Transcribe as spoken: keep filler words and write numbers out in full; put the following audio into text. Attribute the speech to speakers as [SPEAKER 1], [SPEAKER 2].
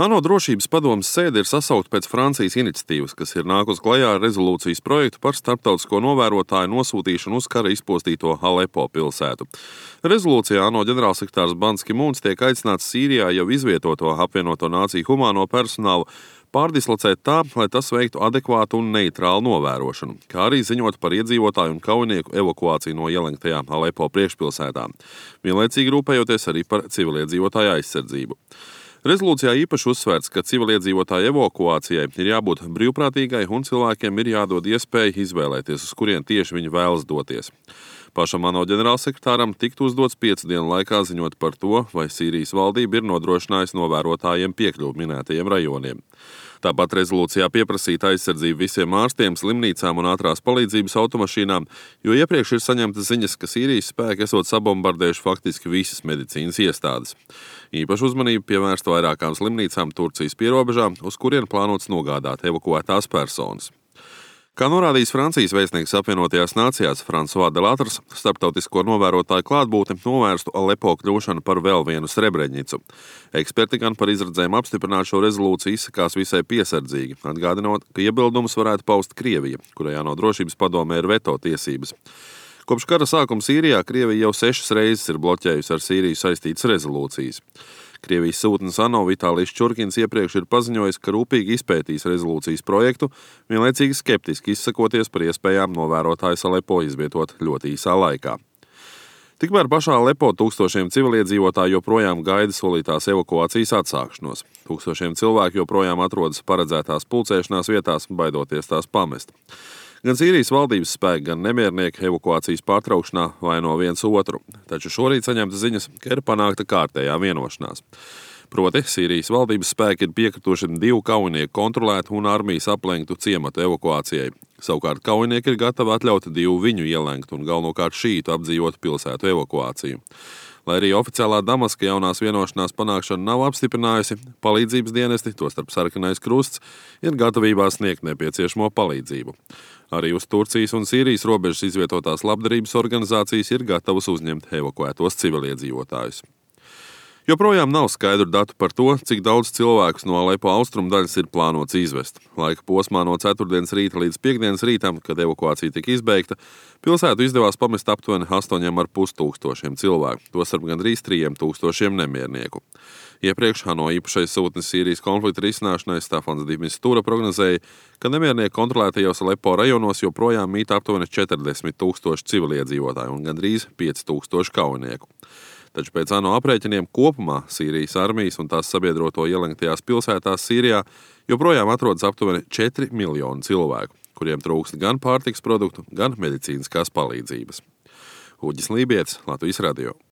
[SPEAKER 1] ANO drošības padomes sēde ir sasaukta pēc Francijas iniciatīvas, kas ir nākus klajā ar rezolūcijas projektu par starptautisko novērotāju nosūtīšanu uz kara izpostīto Alepo pilsētu. Rezolūcijā ANO ģenerālsekretārs Ban Ki Mūns tiek aicināts Sīrijā jau izvietoto apvienoto nāciju humāno personālu pārdislocēt tā, lai tas veiktu adekvātu un neitrālu novērošanu, kā arī ziņot par iedzīvotāju un kaujinieku evakuāciju no ielenktajām Alepo priekšpilsētām, vienlaicīgi rūpējoties arī par civiliedzīvotāju aizsardzību. Rezolūcijā īpaši uzsvērts, ka civiliedzīvotāju evakuācijai ir jābūt brīvprātīgai un cilvēkiem ir jādod iespēja izvēlēties, uz kurien tieši viņi vēlas doties. Pašam ANO ģenerālsekretāram tiktu uzdots piecu dienu laikā ziņot par to, vai Sīrijas valdība ir nodrošinājusi novērotājiem piekļuvi minētajiem rajoniem. Tāpat rezolūcijā pieprasīta aizsardzība visiem ārstiem, slimnīcām un ātrās palīdzības automašīnām, jo iepriekš ir saņemtas ziņas, ka Sīrijas spēki esot sabombardējuši faktiski visas medicīnas iestādes. Īpaši uzmanību pievērst vairākām slimnīcām Turcijas pierobežā, uz kurien plānots nogādāt evakuētās personas. Kā norādījis Francijas vēstnieks apvienotajās nācijās François Delattre, starptautisko novērotāju klātbūtne novērstu Alepo kļūšanu par vēl vienu Srebreņicu. Eksperti gan par izredzēm apstiprināt šo rezolūciju izsakās visai piesardzīgi, atgādinot, ka iebildumus varētu paust Krievija, kurai ANO drošības padomē ir veto tiesības. Kopš kara sākuma Sīrijā Krievija jau sešas reizes ir bloķējusi ar Sīriju saistītas rezolūcijas. Krievijas sūtnis ANO Vitālijs Čurkins iepriekš ir paziņojis, ka rūpīgi izpētīs rezolūcijas projektu, vienlaicīgi skeptiski izsakoties par iespējām novērotājus Alepo izvietot ļoti īsā laikā. Tikmēr pašā Alepo tūkstošiem civiliedzīvotāju joprojām gaida solītās evakuācijas atsākšanos. Tūkstošiem cilvēku joprojām atrodas paredzētās pulcēšanās vietās, baidoties tās pamest. Gan Sīrijas valdības spēki, gan nemiernieki evakuācijas pārtraukšanā vaino viens otru, taču šorīt saņemta ziņas, ka ir panākta kārtējā vienošanās. Proti, Sīrijas valdības spēki ir piekrituši divu kaujinieku kontrolētu un armijas aplenktu ciematu evakuācijai. Savukārt kaujinieki ir gatavi atļaut divu viņu ielenktu un galvenokārt šītu apdzīvotu pilsētu evakuāciju. Lai arī oficiālā Damaska jaunās vienošanās panākšana nav apstiprinājusi, palīdzības dienesti, tostarp Sarkanais krusts, ir gatavībā sniegt nepieciešamo palīdzību. Arī uz Turcijas un Sīrijas robežas izvietotās labdarības organizācijas ir gatavas uzņemt evakuētos civiliedzīvotājus. Joprojām nav skaidru datu par to, cik daudz cilvēkus no Alepo austrumu daļas ir plānots izvest. Laika posmā no ceturtdienas rīta līdz piekdienas rītam, kad evakuācija tika izbeigta, pilsētu izdevās pamest aptuveni astoņiem ar pus tūkstošiem cilvēku, tostarp gandrīz trījiem tūkstošiem nemiernieku. Iepriekš ANO īpašais sūtnis Sīrijas konflikta risināšanai Stefans de Mistura prognozēja, ka nemiernieku kontrolētajos Alepo rajonos joprojām mīt aptuveni četrdesmit tūkstoši civiliedzīvotāju un gandrīz pieci tūkstoši kaujinieku. Taču pēc ANO aprēķiniem kopumā Sīrijas armijas un tās sabiedroto ielenktajās pilsētās Sīrijā joprojām atrodas aptuveni četri miljoni cilvēku, kuriem trūkst gan pārtikas produktu, gan medicīniskās palīdzības. Uģis Lībietis, Latvijas radio.